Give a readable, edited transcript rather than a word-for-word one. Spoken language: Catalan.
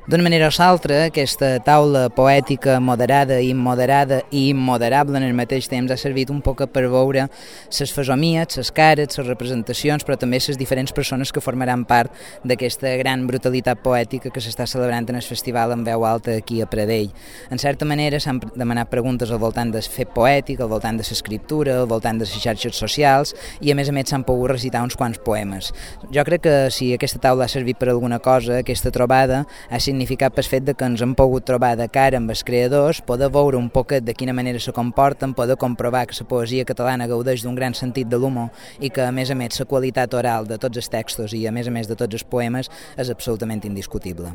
D'una manera o l'altra, aquesta taula poètica moderada, immoderada i immoderable en el mateix temps ha servit un poc per veure les fesomies, les cares, les representacions, però també les diferents persones que formaran part d'aquesta gran brutalitat poètica que s'està celebrant en el festival en veu alta aquí a Pradell. En certa manera s'han demanat preguntes al voltant del fet poètic, al voltant de l'escriptura, al voltant de les xarxes socials i a més s'han pogut recitar uns quants poemes. Jo crec que si aquesta taula ha servit per alguna cosa, aquesta trobada ha significat pel fet que ens hem pogut trobar de cara amb els creadors, poder veure un poquet de quina manera se comporten, poder comprovar que la poesia catalana gaudeix d'un gran sentit de l'humor i que a més la qualitat oral de tots els textos i a més de tots els poemes és absolutament indiscutible.